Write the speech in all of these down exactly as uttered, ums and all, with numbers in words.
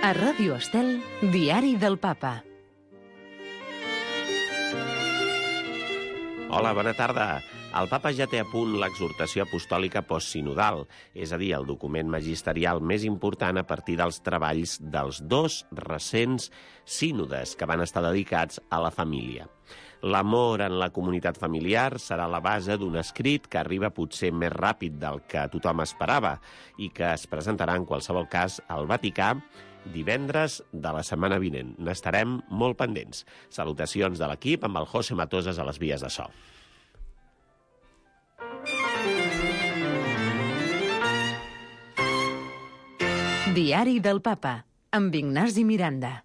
A Ràdio Estel, Diari del Papa. Hola, bona tarda. El Papa ja té a punt l'exhortació apostòlica postsinodal, és a dir, el document magisterial més important a partir dels treballs dels dos recents sínodes que van estar dedicats a la família. L'amor en la comunitat familiar serà la base d'un escrit que arriba potser més ràpid del que tothom esperava i que es presentarà en qualsevol cas al Vaticà divendres de la setmana vinent. N'estarem molt pendents. Salutacions de l'equip amb el José Matoses a les vies de so. Diari del Papa, amb Ignasi Miranda.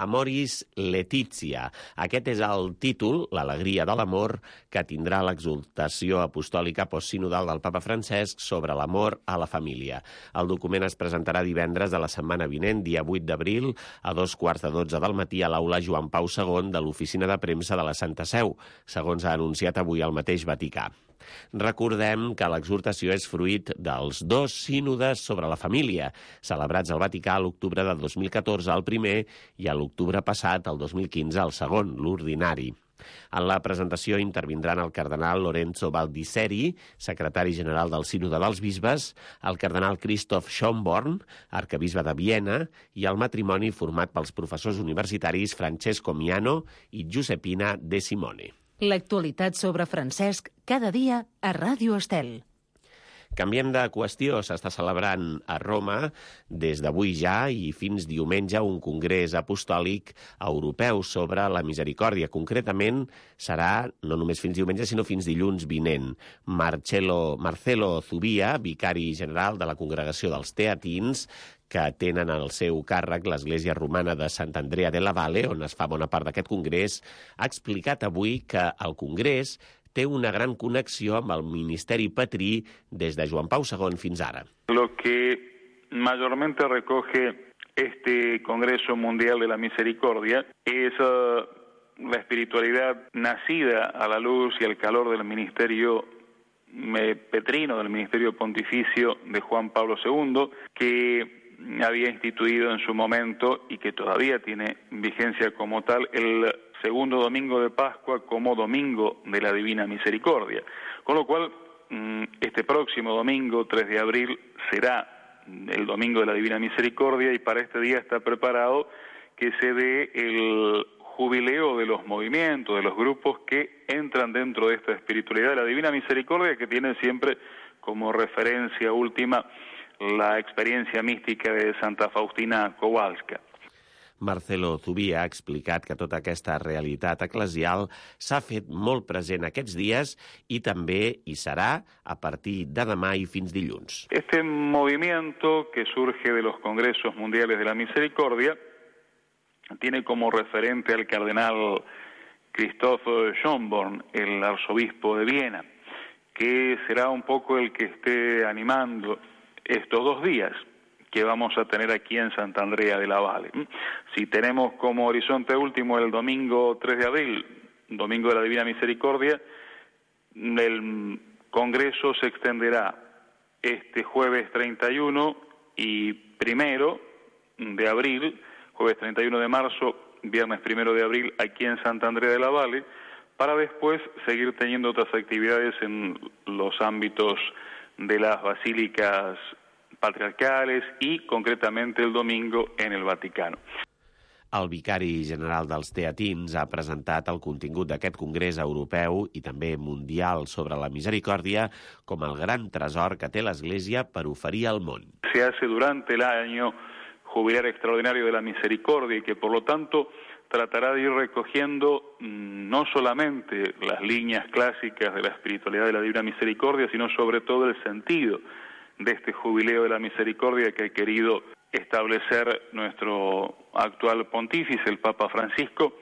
Amoris Laetitia. Aquest és el títol, l'alegria de l'amor, que tindrà l'exhortació apostòlica postsinodal del Papa Francesc sobre l'amor a la família. El document es presentarà divendres de la setmana vinent, dia vuit d'abril, a dos quarts de dotze del matí a l'aula Joan Pau segon de l'Oficina de Premsa de la Santa Seu, segons ha anunciat avui el mateix Vaticà. Recordem que l'exhortació és fruit dels dos sínodes sobre la família, celebrats al Vaticà a l'octubre de dos mil catorze el primer i a l'octubre passat, el dos mil quinze, el segon, l'ordinari. En la presentació intervindran el cardenal Lorenzo Baldisseri, secretari general del Sínode dels Bisbes, el cardenal Christoph Schönborn, arquebisbe de Viena, i el matrimoni format pels professors universitaris Francesco Miano i Giuseppina De Simone. L'actualitat sobre Francesc cada dia a Ràdio Estel. Canviem de qüestió. S'està celebrant a Roma des d'avui ja i fins diumenge un congrés apostòlic europeu sobre la misericòrdia. Concretament serà no només fins diumenge, sinó fins dilluns vinent. Marcelo, Marcelo Zubia, vicari general de la Congregació dels Teatins, que tenen al seu càrrec l'Església Romana de Sant Andrea de la Valle, on es fa bona part d'aquest congrés, ha explicat avui que el congrés té una gran connexió amb el ministeri patrí des de Joan Pau segon fins ara. Lo que mayormente recoge este Congreso Mundial de la Misericordia es uh, la espiritualidad nacida a la luz y al calor del ministerio eh, petrino, del ministerio pontificio de Juan Pablo segundo, que había instituido en su momento y que todavía tiene vigencia como tal el segundo domingo de Pascua como domingo de la Divina Misericordia. Con lo cual, este próximo domingo, tres de abril, será el domingo de la Divina Misericordia y para este día está preparado que se dé el jubileo de los movimientos, de los grupos que entran dentro de esta espiritualidad de la Divina Misericordia, que tiene siempre como referencia última la experiencia mística de Santa Faustina Kowalska. Marcelo Zubia ha explicat que tota aquesta realitat eclesial s'ha fet molt present aquests dies i també hi serà a partir de demà i fins dilluns. Este movimiento que surge de los Congresos Mundiales de la Misericordia tiene como referente al cardenal Christoph Schönborn, el arzobispo de Viena, que será un poco el que esté animando estos dos días que vamos a tener aquí en Santa Andrea de la Valle. Si tenemos como horizonte último el domingo tres de abril, domingo de la Divina Misericordia, el Congreso se extenderá este jueves treinta y uno y primero de abril, jueves treinta y uno de marzo, viernes primero de abril aquí en Santa Andrea de la Valle, para después seguir teniendo otras actividades en los ámbitos de las basílicas patriarcales i, concretamente, el domingo en el Vaticano. El vicari general dels Teatins ha presentat el contingut d'aquest congrés europeu i també mundial sobre la misericòrdia com el gran tresor que té l'Església per oferir al món. Se hace durante el año jubilar extraordinario de la misericordia y que, por lo tanto, tratará de ir recogiendo no solamente las líneas clásicas de la espiritualidad de la Divina Misericordia, sino sobre todo el sentido de este jubileo de la misericordia que ha querido establecer nuestro actual pontífice, el Papa Francisco,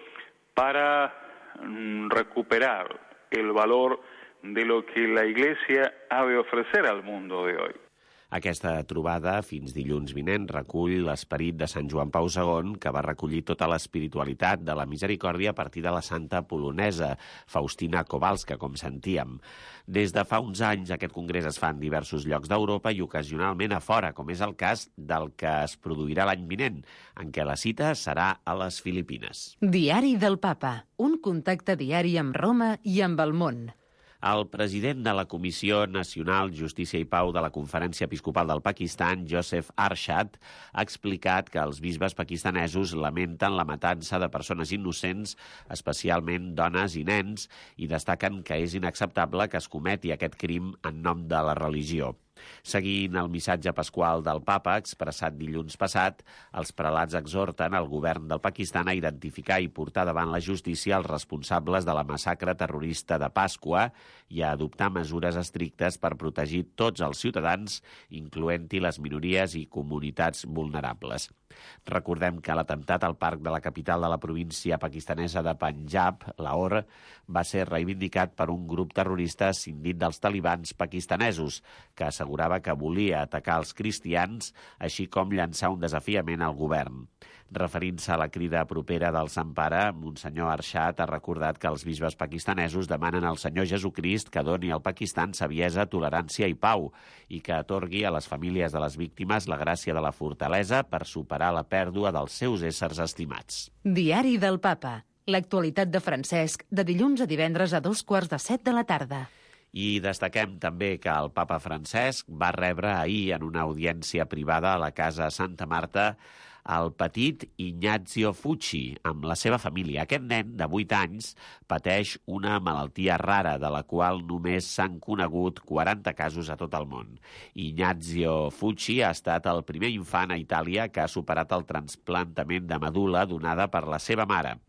para recuperar el valor de lo que la Iglesia ha de ofrecer al mundo de hoy. Aquesta trobada, fins dilluns vinent, recull l'esperit de Sant Joan Pau segon, que va recollir tota l'espiritualitat de la misericòrdia a partir de la santa polonesa, Faustina Kowalska, com sentíem. Des de fa uns anys, aquest congrés es fa en diversos llocs d'Europa i ocasionalment a fora, com és el cas del que es produirà l'any vinent, en què la cita serà a les Filipines. Diari del Papa, un contacte diari amb Roma i amb el món. El president de la Comissió Nacional Justícia i Pau de la Conferència Episcopal del Pakistan, Joseph Arshad, ha explicat que els bisbes pakistanesos lamenten la matança de persones innocents, especialment dones i nens, i destaquen que és inacceptable que es cometi aquest crim en nom de la religió. Seguint el missatge pasqual del papa, expressat dilluns passat, els prelats exhorten el govern del Pakistan a identificar i portar davant la justícia els responsables de la massacre terrorista de Pasqua i a adoptar mesures estrictes per protegir tots els ciutadans, incloent-hi les minories i comunitats vulnerables. Recordem que l'atemptat al parc de la capital de la província pakistanesa de Panjab, Lahore, va ser reivindicat per un grup terrorista escindit dels talibans pakistanesos, que assegurava que volia atacar els cristians, així com llançar un desafiament al govern. Referint-se a la crida propera del Sant Pare, Monsenyor Arshad ha recordat que els bisbes pakistanesos demanen al Senyor Jesucrist que doni al Pakistan saviesa, tolerància i pau i que atorgui a les famílies de les víctimes la gràcia de la fortalesa per superar la pèrdua dels seus éssers estimats. Diari del Papa. L'actualitat de Francesc, de dilluns a divendres a dos quarts de set de la tarda. I destaquem també que el papa Francesc va rebre ahir en una audiència privada a la Casa Santa Marta el petit Ignazio Fucci, amb la seva família. Aquest nen, de vuit anys, pateix una malaltia rara, de la qual només s'han conegut quaranta casos a tot el món. Ignazio Fucci ha estat el primer infant a Itàlia que ha superat el trasplantament de medul·la donada per la seva mare.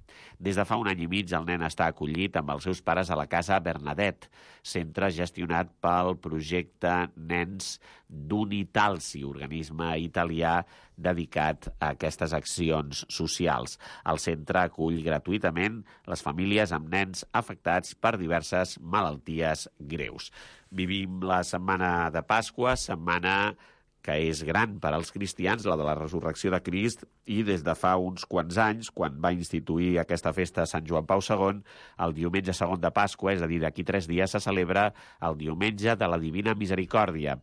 Des de fa un any i mig el nen està acollit amb els seus pares a la Casa Bernadette, centre gestionat pel projecte Nens d'Unitalsi, organisme italià dedicat a aquestes accions socials. El centre acull gratuïtament les famílies amb nens afectats per diverses malalties greus. Vivim la setmana de Pasqua, setmana que és gran per als cristians, la de la resurrecció de Crist, i des de fa uns quants anys, quan va instituir aquesta festa Sant Joan Pau segon, el diumenge segon de Pasqua, és a dir, d'aquí tres dies, se celebra el diumenge de la Divina Misericòrdia.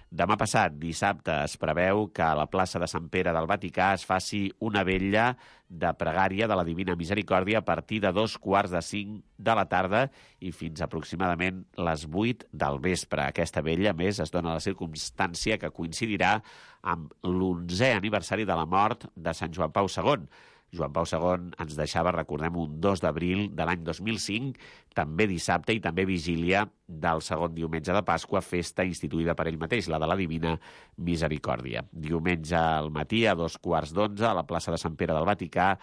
Demà passat, dissabte, es preveu que a la plaça de Sant Pere del Vaticà es faci una vetlla de pregària de la Divina Misericòrdia a partir de dos quarts de cinc de la tarda i fins aproximadament les vuit del vespre. Aquesta vetlla, a més, es dona la circumstància que coincidirà amb l'onzè aniversari de la mort de Sant Joan Pau segon. Joan Pau segon ens deixava, recordem, un dos d'abril de l'any dos mil cinc, també dissabte i també vigília del segon diumenge de Pasqua, festa instituïda per ell mateix, la de la Divina Misericòrdia. Diumenge al matí, a dos quarts d'onze, a la plaça de Sant Pere del Vaticà,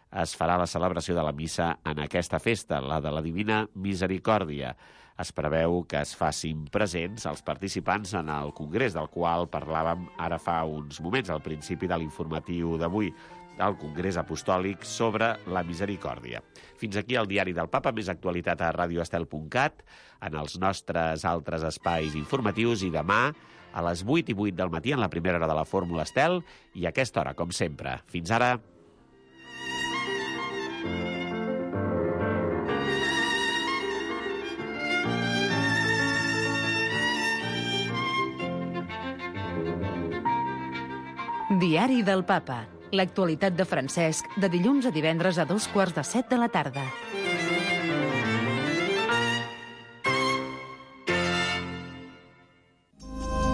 es farà la celebració de la missa en aquesta festa, la de la Divina Misericòrdia. Es preveu que es facin presents els participants en el congrés, del qual parlàvem ara fa uns moments, al principi de l'informatiu d'avui, al Congrés Apostòlic sobre la Misericòrdia. Fins aquí el Diari del Papa, més actualitat a radio estel punt cat, en els nostres altres espais informatius, i demà a les vuit i vuit del matí en la primera hora de la Fórmula Estel, i a aquesta hora, com sempre. Fins ara. Diari del Papa. L'actualitat de Francesc, de dilluns a divendres a dos quarts de set de la tarda.